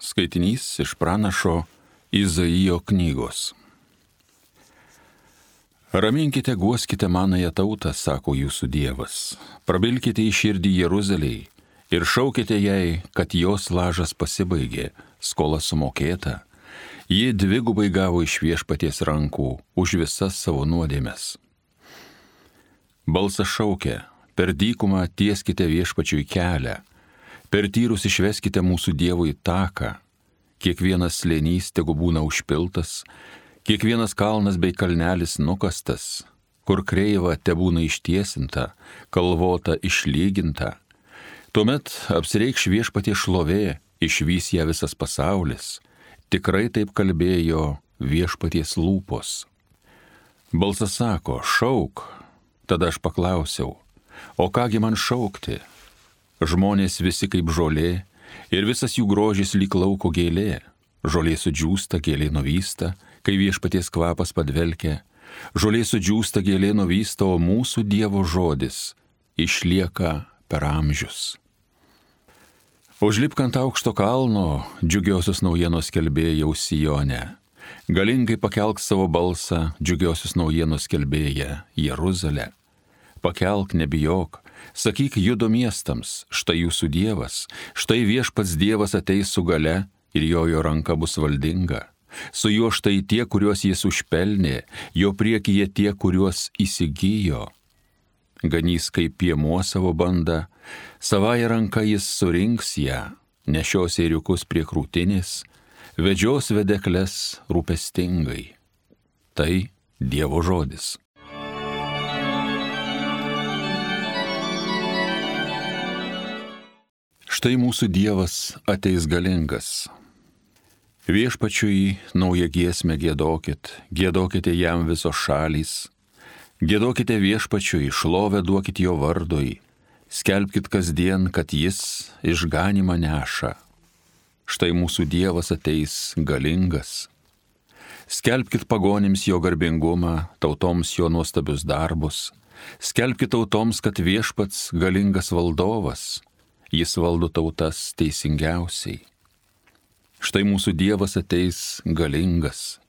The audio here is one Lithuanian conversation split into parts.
Skaitinys iš pranašo Izaijo knygos. Raminkite, guoskite manąją tautą, sako jūsų Dievas. Prabilkite į širdį Jeruzalei ir šaukite jai, kad jos lažas pasibaigė, skola sumokėta. Ji dvigubai gavo iš Viešpaties rankų už visas savo nuodėmes. Balsas šaukia, per dykumą tieskite Viešpačiui kelią, per tyrus išveskite mūsų Dievui taką. Kiekvienas slėnys tegu būna užpiltas, kiekvienas kalnas bei kalnelis nukastas, kur kreiva tebūna ištiesinta, kalvota išlyginta. Tuomet apsireikš Viešpaties šlovė, išvys ją visas pasaulis. Tikrai taip kalbėjo Viešpaties lūpos. Balsas sako, šauk. Tada aš paklausiau, o kągi man šaukti? Žmonės visi kaip žolė ir visas jų grožis lyg lauko gėlė. Žolė sudžiūsta, gėlė nuvysta, kai Viešpaties kvapas padvelkia. Žolė sudžiūsta, gėlė nuvysta, o mūsų Dievo žodis išlieka per amžius. Užlipk ant aukšto kalno, džiugiosios naujienos skelbėjau Sione. Galingai pakelk savo balsą, džiugiosios naujienos skelbėja Jeruzalė. Pakelk, nebijok, sakyk Judo miestams, štai jūsų Dievas, štai Viešpats Dievas ateis su gale ir jo ranka bus valdinga. Su juo štai tie, kuriuos jis užpelnė, jo priekyje tie, kuriuos įsigijo. Ganys kaip piemuo savo bandą, savąją ranką jis surinks ją, nešios ėriukus prie krūtinės, vedžios vedekles rūpestingai. Tai Dievo žodis. Štai mūsų Dievas ateis galingas. Viešpačiui naują giesmę giedokit, giedokite jam visos šalys. Giedokite Viešpačiui, šlovę duokit jo vardui, skelbkit kasdien, kad jis išganymą neša. Štai mūsų Dievas ateis galingas. Skelbkit pagonims jo garbingumą, tautoms jo nuostabius darbus. Skelbkit tautoms, kad Viešpats galingas valdovas. Jis valdo tautas teisingiausiai. Štai mūsų Dievas ateis galingas.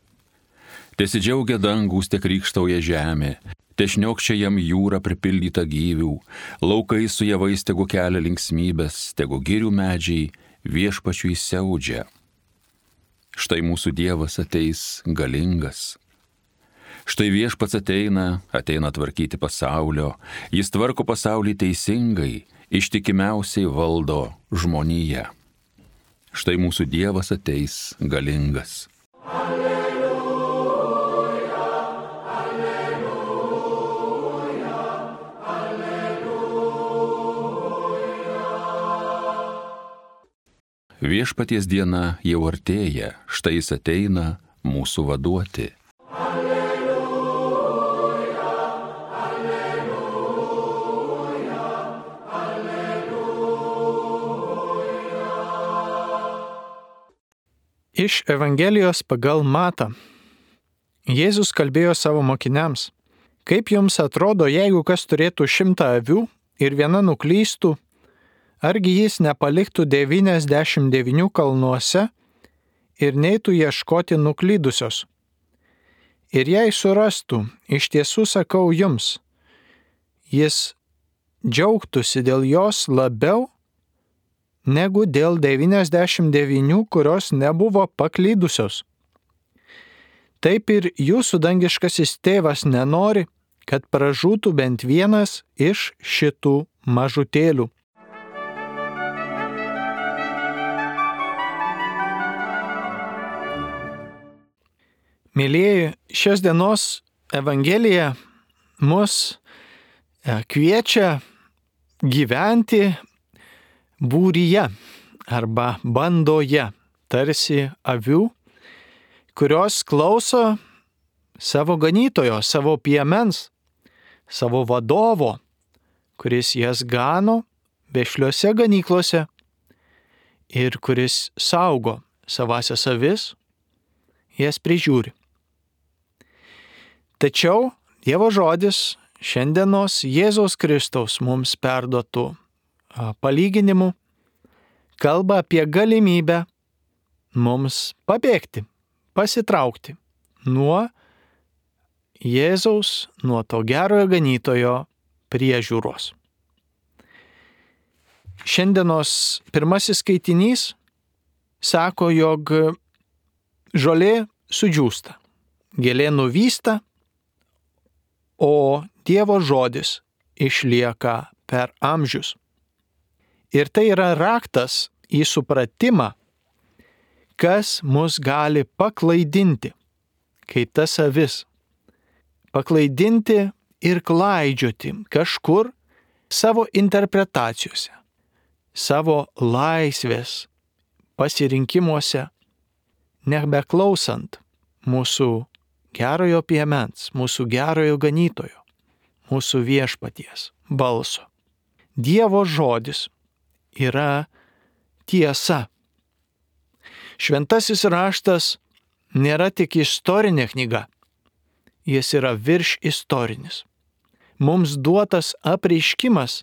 Tesidžiaugia dangus, te krykštauja žemė, te šniokščia jam jūra pripildyta gyvių, laukai su javais tegu kelia linksmybės, tegu girių medžiai Viešpačiui siaudžia. Štai mūsų Dievas ateis galingas. Štai Viešpats ateina tvarkyti pasaulio, jis tvarko pasaulį teisingai, ištikimiausiai valdo žmoniją. Štai mūsų Dievas ateis galingas. Alleluja, alleluja, alleluja. Viešpaties diena jau artėja, štai jis ateina mūsų vaduoti. Iš Evangelijos pagal Matą. Jėzus kalbėjo savo mokiniams, kaip jums atrodo, jeigu kas turėtų 100 avių ir viena nuklystų, argi jis nepaliktų 99 kalnuose ir neitų ieškoti nuklydusios. Ir jei surastų, iš tiesų sakau jums, jis džiaugtųsi dėl jos labiau, negu dėl 99, kurios nebuvo paklydusios. Taip ir jūsų dangiškasis tėvas nenori, kad pražūtų bent vienas iš šitų mažutėlių. Mėlyjeji, šios dienos Evangelija mus kviečia gyventi būryje arba bandoje, tarsi avių, kurios klauso savo ganytojo, savo piemens, savo vadovo, kuris jas gano vešliose ganyklose ir kuris saugo savasias avis, jas prižiūri. Tačiau Dievo žodis šiandienos Jėzaus Kristaus mums perduotų palyginimu kalba apie galimybę mums pabėgti, pasitraukti nuo Jėzaus, nuo to gerojo ganytojo priežiūros. Šiandienos pirmasis skaitinys sako, jog žolė sudžiūsta, gėlė nuvysta, o Dievo žodis išlieka per amžius. Ir tai yra raktas į supratimą, kas mus gali paklaidinti, kaip tas avis. Paklaidinti ir klaidžioti kažkur savo interpretacijose, savo laisvės pasirinkimuose, nebeklausant mūsų gerojo piemens, mūsų gerojo ganytojo, mūsų viešpaties balso. Dievo žodis yra tiesa. Šventasis raštas nėra tik istorinė knyga, jis yra virš istorinis. Mums duotas apreiškimas,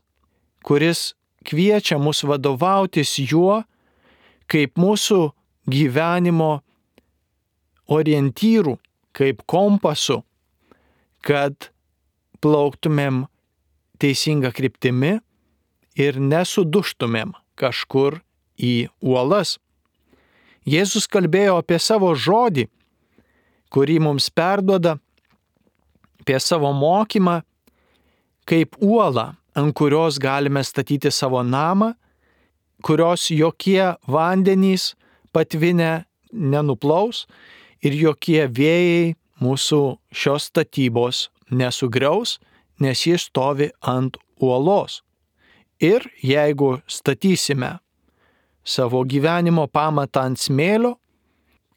kuris kviečia mus vadovautis juo kaip mūsų gyvenimo orientyrų, kaip kompasu, kad plauktumėm teisinga kryptimi ir nesuduštumėm kažkur į uolas. Jėzus kalbėjo apie savo žodį, kurį mums perduoda, apie savo mokymą, kaip uolą, ant kurios galime statyti savo namą, kurios jokie vandenys patvinę nenuplaus ir jokie vėjai mūsų šios statybos nesugriaus, nes jis stovi ant uolos. Ir jeigu statysime savo gyvenimo pamatą ant smėlio,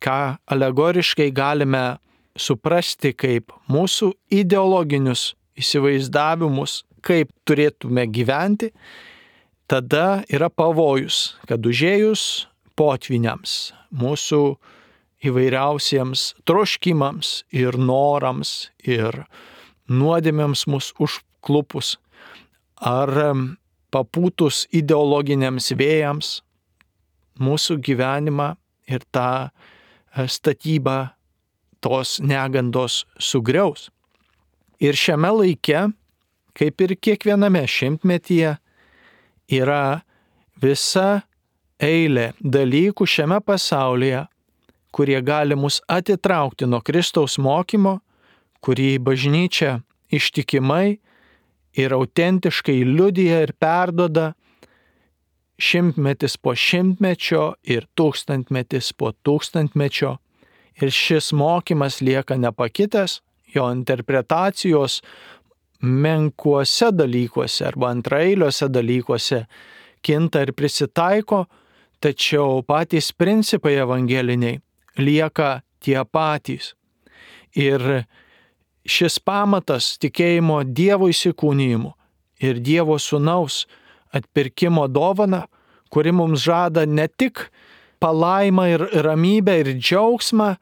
ką alegoriškai galime suprasti kaip mūsų ideologinius įsivaizdavimus, kaip turėtume gyventi, tada yra pavojus, kad užėjus potvyniams, mūsų įvairiausiems troškimams ir norams ir nuodėmėms mus užklupus ar papūtus ideologiniams vėjams, mūsų gyvenimą ir tą statybą tos negandos sugriaus. Ir šiame laike, kaip ir kiekviename šimtmetyje, yra visa eilė dalykų šiame pasaulyje, kurie gali mus atitraukti nuo Kristaus mokymo, kurį bažnyčia ištikimai ir autentiškai liudija ir perduoda šimtmetis po šimtmečio ir tūkstantmetis po tūkstantmečio. Ir šis mokymas lieka nepakitęs, jo interpretacijos menkuose dalykuose arba antraeiliuose dalykuose kinta ir prisitaiko, tačiau patys principai evangeliniai lieka tie patys. Ir šis pamatas tikėjimo Dievo įsikūnijimu ir Dievo sūnaus atpirkimo dovana, kuri mums žada ne tik palaimą ir ramybę ir džiaugsmą,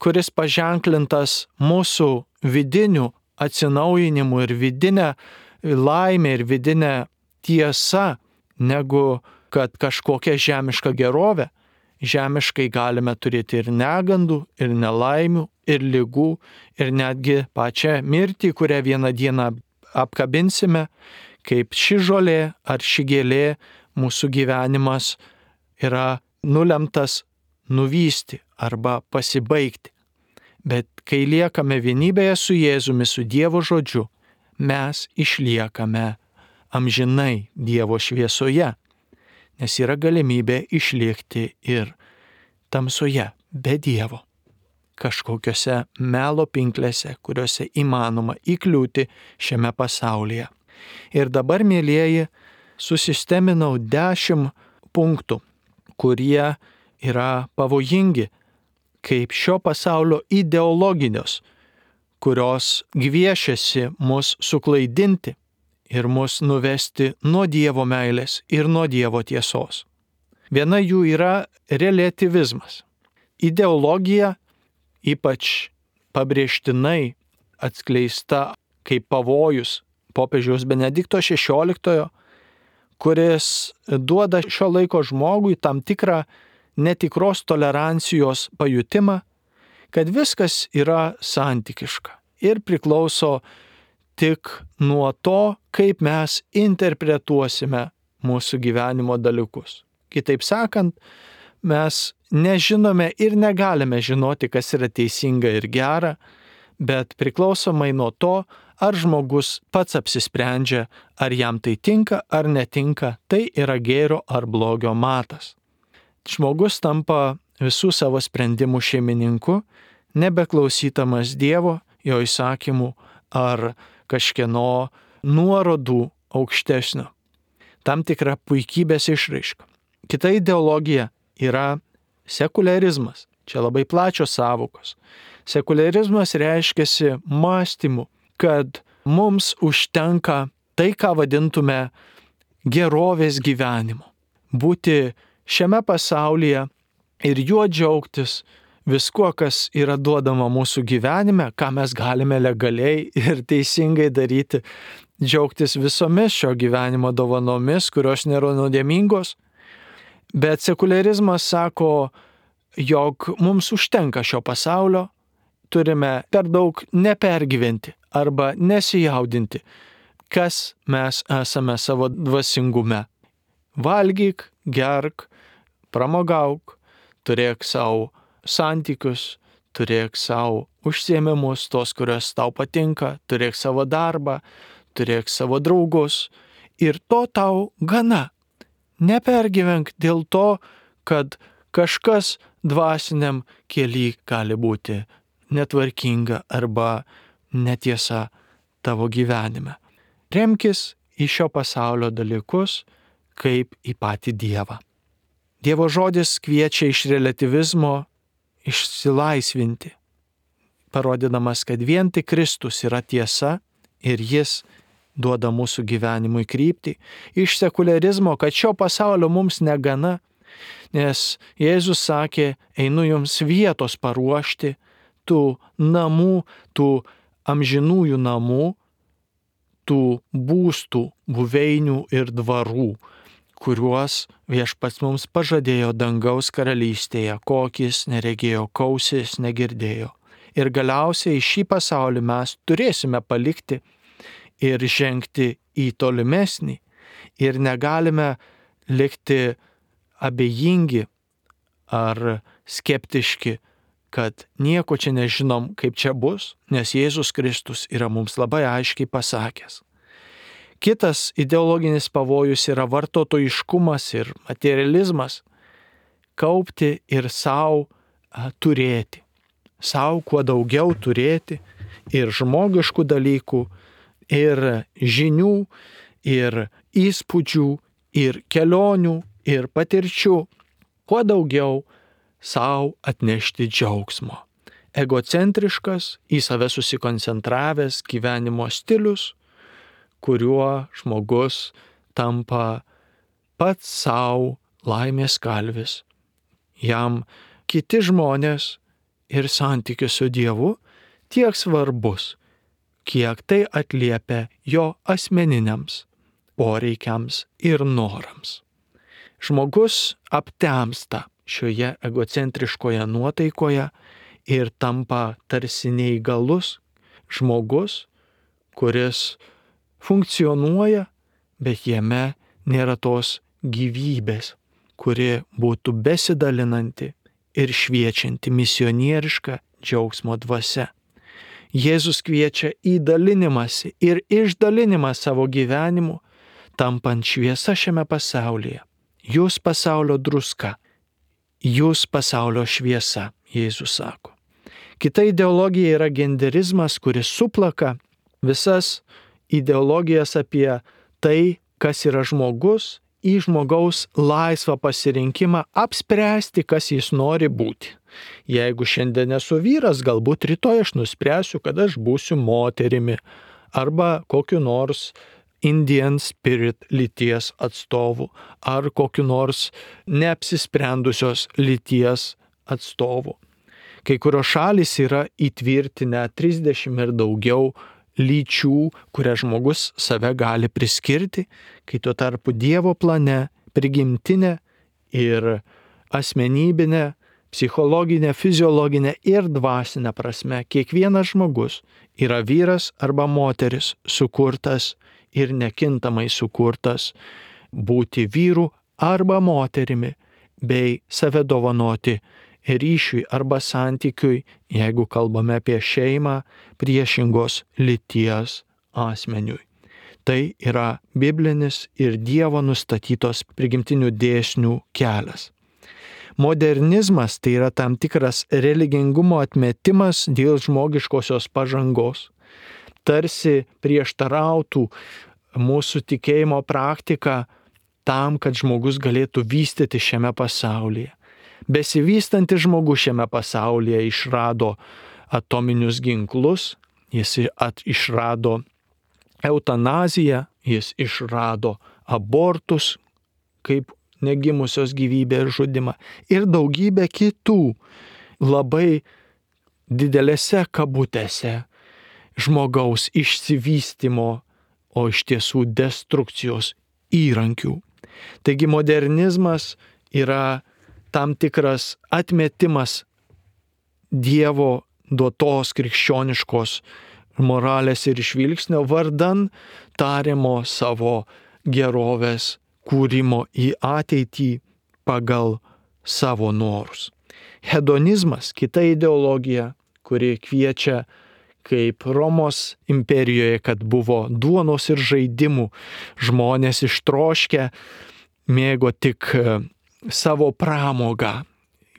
kuris paženklintas mūsų vidiniu atsinaujinimu ir vidinę laimę ir vidinę tiesą, negu kad kažkokia žemiška gerovė. Žemiškai galime turėti ir negandų, ir nelaimių, ir ligų, ir netgi pačią mirtį, kurią vieną dieną apkabinsime, kaip ši žolė ar ši gėlė mūsų gyvenimas yra nulemtas nuvysti arba pasibaigti. Bet kai liekame vienybėje su Jėzumi, su Dievo žodžiu, mes išliekame amžinai Dievo šviesoje, nes yra galimybė išlikti ir tamsoje be Dievo, kažkokiose melo pinklėse, kuriuose įmanoma įkliūti šiame pasaulyje. Ir dabar, mielieji, susisteminau 10 punktų, kurie yra pavojingi, kaip šio pasaulio ideologinios, kurios gviešiasi mus suklaidinti ir mus nuvesti nuo Dievo meilės ir nuo Dievo tiesos. Viena jų yra reliatyvizmas. Ideologija, ypač pabrėžtinai atskleista kaip pavojus popiežiaus Benedikto XVI, kuris duoda šio laiko žmogui tam tikrą netikros tolerancijos pajutimą, kad viskas yra santykiška ir priklauso tik nuo to, kaip mes interpretuosime mūsų gyvenimo dalykus. Kitaip sakant, mes nežinome ir negalime žinoti, kas yra teisinga ir gera, bet priklausomai nuo to, ar žmogus pats apsisprendžia, ar jam tai tinka ar netinka, tai yra gėrio ar blogio matas. Žmogus tampa visų savo sprendimų šeimininku, nebeklausydamas Dievo, jo įsakymų ar kažkieno nuorodų aukštesnio. Tam tikra puikybės išraiška. Kita ideologija yra sekularizmas. Čia labai plačios sąvokos. Sekularizmas reiškiasi mąstymu, kad mums užtenka tai, ką vadintume gerovės gyvenimu. Būti šiame pasaulyje ir juo džiaugtis viskuo, kas yra duodama mūsų gyvenime, ką mes galime legaliai ir teisingai daryti, džiaugtis visomis šio gyvenimo dovanomis, kurios nėra nuodėmingos. Bet sekularizmas sako, jog mums užtenka šio pasaulio, turime per daug nepergyventi arba nesijaudinti, kas mes esame savo dvasingume. Valgyk, gerk, pramogauk, turėk savo santykius, turėk savo užsiėmimus, tos, kurios tau patinka, turėk savo darbą, turėk savo draugus ir to tau gana. Nepergyvenk dėl to, kad kažkas dvasiniam kely gali būti netvarkinga arba netiesa tavo gyvenime. Remkis į šio pasaulio dalykus kaip į patį Dievą. Dievo žodis kviečia iš relativizmo išsilaisvinti, parodydamas, kad vien tik Kristus yra tiesa ir jis duoda mūsų gyvenimui kryptį, iš sekularizmo, kad šio pasaulio mums negana, nes Jėzus sakė, einu jums vietos paruošti, tų namų, tų amžinųjų namų, tų būstų, buveinių ir dvarų, kuriuos Viešpats mums pažadėjo dangaus karalystėje, kokis neregėjo, kausis negirdėjo. Ir galiausiai šį pasaulį mes turėsime palikti ir žengti į tolimesnį. Ir negalime likti abejingi ar skeptiški, kad nieko čia nežinom, kaip čia bus, nes Jėzus Kristus yra mums labai aiškiai pasakęs. Kitas ideologinis pavojus yra vartotojiškumas ir materializmas. Kaupti ir savo turėti. Savo kuo daugiau turėti ir žmogiškų dalykų, ir žinių, ir įspūdžių, ir kelionių, ir patirčių. Kuo daugiau savo atnešti džiaugsmo. Egocentriškas, į save susikoncentravęs gyvenimo stilius, kuriuo žmogus tampa pats savo laimės kalvis. Jam kiti žmonės ir santykis su Dievu tiek svarbus, kiek tai atliepia jo asmeniniams poreikiams ir norams. Žmogus aptemsta šioje egocentriškoje nuotaikoje ir tampa tarsi neįgalus žmogus, kuris funkcionuoja, bet jame nėra tos gyvybės, kuri būtų besidalinanti ir šviečianti misionierišką džiaugsmo dvasia. Jėzus kviečia į dalinimąsi ir išdalinimą savo gyvenimu, tampant šviesa šiame pasaulyje. Jūs pasaulio druska, jūs pasaulio šviesa, Jėzus sako. Kita ideologija yra genderizmas, kuris suplaka visas ideologijas apie tai, kas yra žmogus, į žmogaus laisvą pasirinkimą apspręsti, kas jis nori būti. Jeigu šiandien esu vyras, galbūt rytoj aš nuspręsiu, kad aš būsiu moterimi arba kokiu nors Indian Spirit lyties atstovu ar kokiu nors neapsisprendusios lyties atstovu. Kai kurios šalys yra įtvirtinę 30 ir daugiau lyčių, kurias žmogus save gali priskirti, kai tuo tarpu Dievo plane prigimtinė ir asmenybinė, psichologinė, fiziologinė ir dvasinė prasme kiekvienas žmogus yra vyras arba moteris sukurtas ir nekintamai sukurtas būti vyru arba moterimi bei save dovanoti ryšiui arba santykiui, jeigu kalbame apie šeimą, priešingos lyties asmeniui. Tai yra biblinis ir Dievo nustatytos prigimtinių dėsnių kelias. Modernizmas tai yra tam tikras religingumo atmetimas dėl žmogiškosios pažangos. Tarsi prieštarautų mūsų tikėjimo praktika tam, kad žmogus galėtų vystyti šiame pasaulyje. Besivystantis žmogus šiame pasaulyje išrado atominius ginklus, jis išrado eutanaziją, jis išrado abortus kaip negimusios gyvybės žudimą ir daugybę kitų labai didelėse kabutėse žmogaus išsivystymo, o iš tiesų destrukcijos įrankių. Taigi modernizmas yra tam tikras atmetimas Dievo duotos krikščioniškos moralės ir žvilgsnio vardan tariamo savo gerovės kūrimo į ateitį pagal savo norus. Hedonizmas, kita ideologija, kuri kviečia kaip Romos imperijoje, kad buvo duonos ir žaidimų, žmonės ištroškę mėgo tik savo pramogą.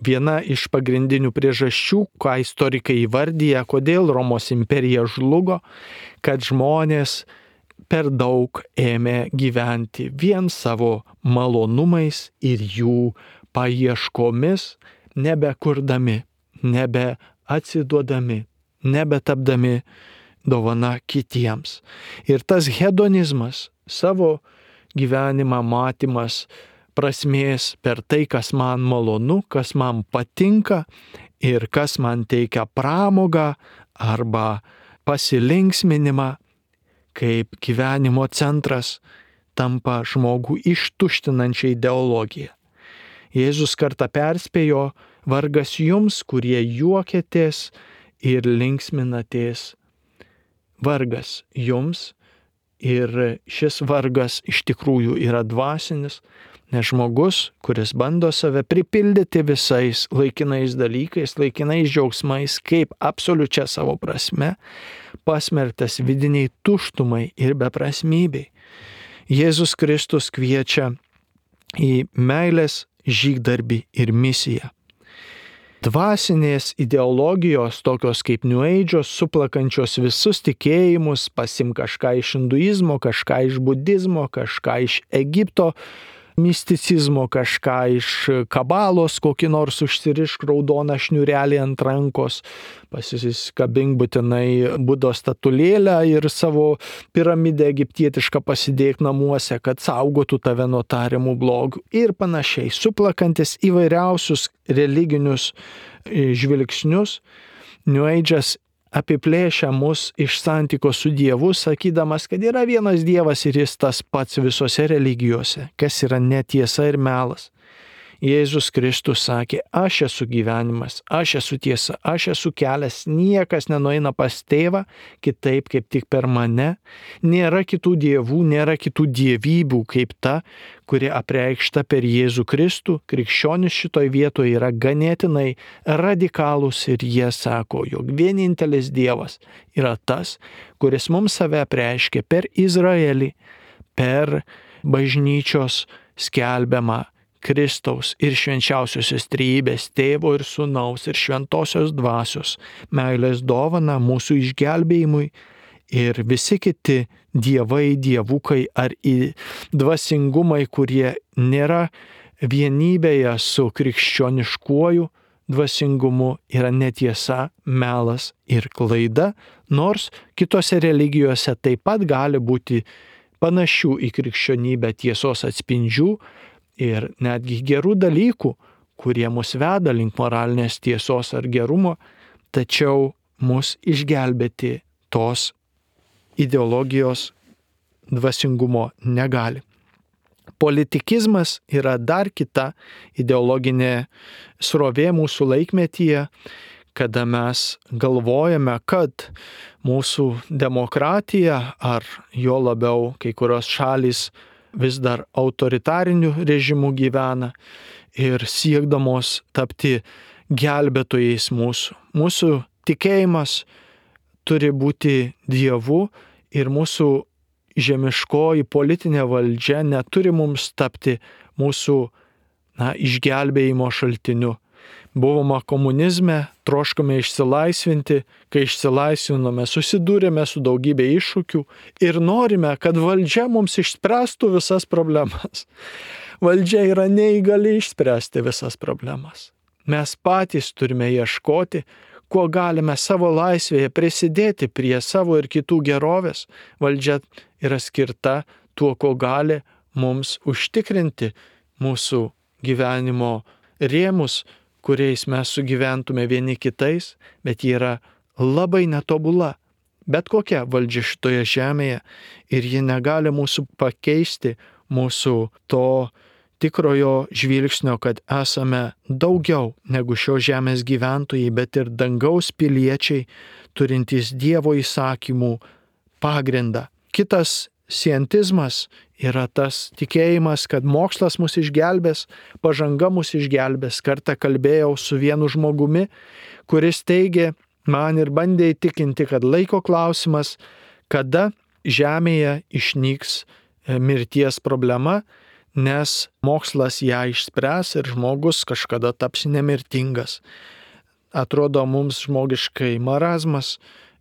Viena iš pagrindinių priežasčių, ką istorikai įvardyja, kodėl Romos imperija žlugo, kad žmonės per daug ėmė gyventi vien savo malonumais ir jų paieškomis, nebekurdami, nebeatsiduodami, nebetapdami dovana kitiems. Ir tas hedonizmas, savo gyvenimą matymas prasmės per tai, kas man malonu, kas man patinka ir kas man teikia pramogą arba pasilinksminimą, kaip gyvenimo centras tampa žmogų ištuštinančia ideologija. Jėzus kartą perspėjo, vargas jums, kurie juokiatės ir linksminatės. Vargas jums, ir šis vargas iš tikrųjų yra dvasinis, nes žmogus, kuris bando save pripildyti visais laikinais dalykais, laikinais džiaugsmais, kaip absoliučia savo prasme, pasmerktas vidiniai tuštumai ir beprasmybei. Jėzus Kristus kviečia į meilės žygdarbį ir misiją. Dvasinės ideologijos, tokios kaip New Age'os, suplakančios visus tikėjimus, pasim kažką iš hinduizmo, kažką iš budizmo, kažką iš Egipto misticizmo, kažką iš kabalos, kokį nors užsirišk raudoną šniurelį ant rankos, pasiskabink būtinai Budos statulėlę ir savo piramidę egiptietišką pasidėk namuose, kad saugotų tave nuo tariamų blogių ir panašiai, suplakantis įvairiausius religinius žvilgsnius. New Age'as apiplėšia mus iš santykio su Dievu, sakydamas, kad yra vienas Dievas ir jis tas pats visose religijose, kas yra netiesa ir melas. Jėzus Kristus sakė, aš esu gyvenimas, aš esu tiesa, aš esu kelias, niekas nenueina pas tėvą kitaip kaip tik per mane, nėra kitų dievų, nėra kitų dievybių kaip ta, kuri apreikšta per Jėzų Kristų. Krikščionis šitoj vietoje yra ganėtinai radikalūs ir jie sako, jog vienintelis Dievas yra tas, kuris mums save apreiškė per Izraelį, per bažnyčios skelbiamą Kristaus ir švenčiausiosios trejybės tėvo ir sūnaus ir šventosios dvasios meilės dovana mūsų išgelbėjimui ir visi kiti dievai, dievukai ar dvasingumai, kurie nėra vienybėje su krikščioniškuoju dvasingumu, yra netiesa, melas ir klaida, nors kitose religijose taip pat gali būti panašių į krikščionybę tiesos atspindžių, ir netgi gerų dalykų, kurie mus veda link moralinės tiesos ar gerumo, tačiau mus išgelbėti tos ideologijos dvasingumo negali. Politikizmas yra dar kita ideologinė srovė mūsų laikmetyje, kada mes galvojame, kad mūsų demokratija ar jo labiau kai kurios šalys vis dar autoritariniu režimu gyvena ir siekdamos tapti gelbėtojais mūsų. Mūsų tikėjimas turi būti Dievu ir mūsų žemiškoji politinė valdžia neturi mums tapti mūsų išgelbėjimo šaltiniu. Buvome komunizme, troškome išsilaisvinti, kai išsilaisvinome, susidūrėme su daugybė iššūkių ir norime, kad valdžia mums išspręstų visas problemas. Valdžia yra neįgali išspręsti visas problemas. Mes patys turime ieškoti, kuo galime savo laisvėje prisidėti prie savo ir kitų gerovės. Valdžia yra skirta tuo, ko gali mums užtikrinti mūsų gyvenimo rėmus, kuriais mes sugyventume vieni kitais, bet ji yra labai netobula. Bet kokia valdžia šitoje žemėje ir ji negali mūsų pakeisti, mūsų to tikrojo žvilgsnio, kad esame daugiau negu šios žemės gyventojai, bet ir dangaus piliečiai, turintys Dievo įsakymų pagrindą. Kitas sientizmas yra tas tikėjimas, kad mokslas mus išgelbės, pažanga mus išgelbės. Kartą kalbėjau su vienu žmogumi, kuris teigė man ir bandė įtikinti, kad laiko klausimas, kada žemėje išnyks mirties problema, nes mokslas ją išspręs ir žmogus kažkada taps nemirtingas. Atrodo mums žmogiškai marazmas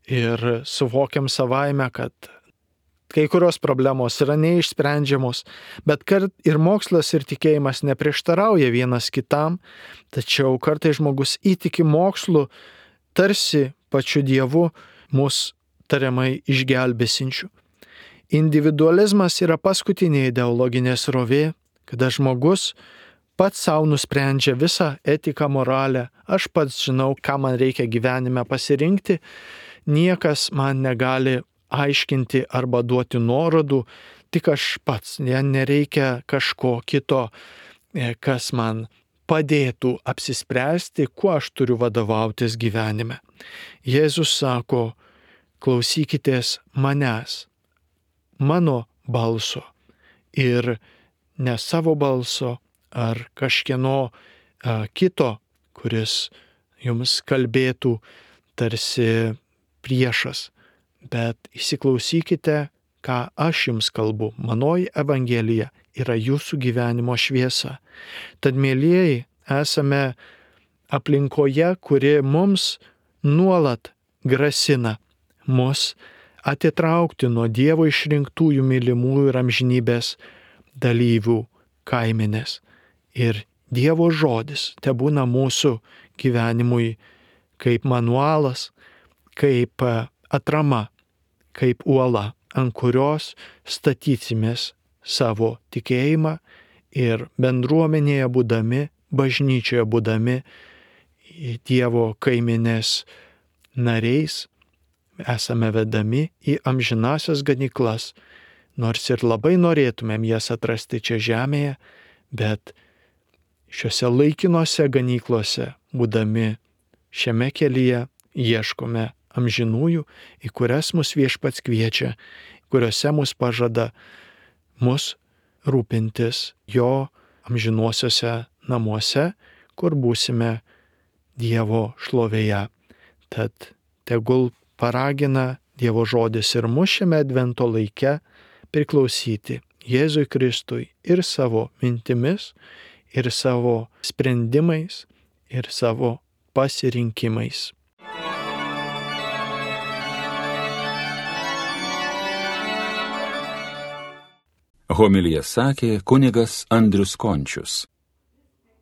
ir suvokiam savaime, kad kai kurios problemos yra neišsprendžiamos, bet ir mokslas ir tikėjimas neprieštarauja vienas kitam, tačiau kartais žmogus įtiki mokslu, tarsi pačiu Dievu mus tariamai išgelbėsinčių. Individualizmas yra paskutinė ideologinė srovė, kada žmogus pats savo nusprendžia visą etiką, moralę. Aš pats žinau, ką man reikia gyvenime pasirinkti, niekas man negali aiškinti arba duoti nuorodų, tik aš pats, nereikia kažko kito, kas man padėtų apsispręsti, kuo aš turiu vadovautis gyvenime. Jėzus sako, klausykitės manęs, mano balso ir ne savo balso ar kažkieno kito, kuris jums kalbėtų tarsi priešas. Bet įsiklausykite, ką aš jums kalbu. Manoji Evangelija yra jūsų gyvenimo šviesa. Tad, mielieji, esame aplinkoje, kuri mums nuolat grasina mus atitraukti nuo Dievo išrinktųjų mylimųjų ir amžinybės dalyvių kaimenės. Ir Dievo žodis tebūna mūsų gyvenimui kaip manualas, kaip atrama, kaip uola, ant kurios statysimės savo tikėjimą ir bendruomenėje būdami, bažnyčioje būdami, Dievo kaimenės nariais, esame vedami į amžinasias ganyklas, nors ir labai norėtumėm jas atrasti čia žemėje, bet šiuose laikinose ganyklose, būdami šiame kelyje, ieškome amžinųjų, į kurias mus Viešpats kviečia, kuriuose mus pažada mus rūpintis jo amžinuosiuose namuose, kur būsime Dievo šlovėje. Tad tegul paragina Dievo žodis ir mus šiame advento laike priklausyti Jėzui Kristui ir savo mintimis, ir savo sprendimais, ir savo pasirinkimais. Homiliją sakė kunigas Andrius Končius.